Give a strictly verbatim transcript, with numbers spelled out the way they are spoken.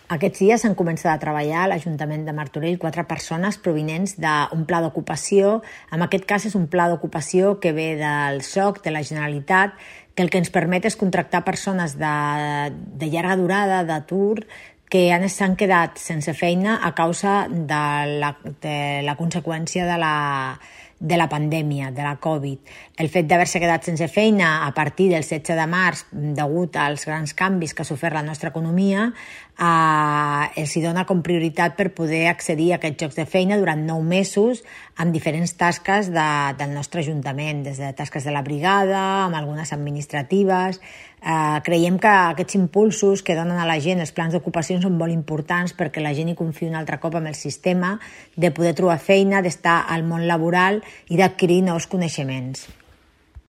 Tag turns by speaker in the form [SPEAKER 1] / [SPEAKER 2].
[SPEAKER 1] Aquests dies s'han començat a treballar a l'Ajuntament de Martorell quatre persones provinents d'un pla d'ocupació. En aquest cas és un pla d'ocupació que ve del soc, de la Generalitat, que el que ens permet és contractar persones de, de llarga durada, d'atur, que s'han quedat sense feina a causa de la, de la conseqüència de la, de la pandèmia, de la Covid. El fet d'haver-se quedat sense feina a partir del setze de març, degut als grans canvis que ha sofert la nostra economia, eh, els hi dona com prioritat per poder accedir a aquests llocs de feina durant nou mesos amb diferents tasques de, del nostre Ajuntament, des de tasques de la brigada, amb algunes administratives. Eh, creiem que aquests impulsos que donen a la gent els plans d'ocupació són molt importants perquè la gent hi confiï un altre cop en el sistema de poder trobar feina, d'estar al món laboral i d'adquirir nous coneixements.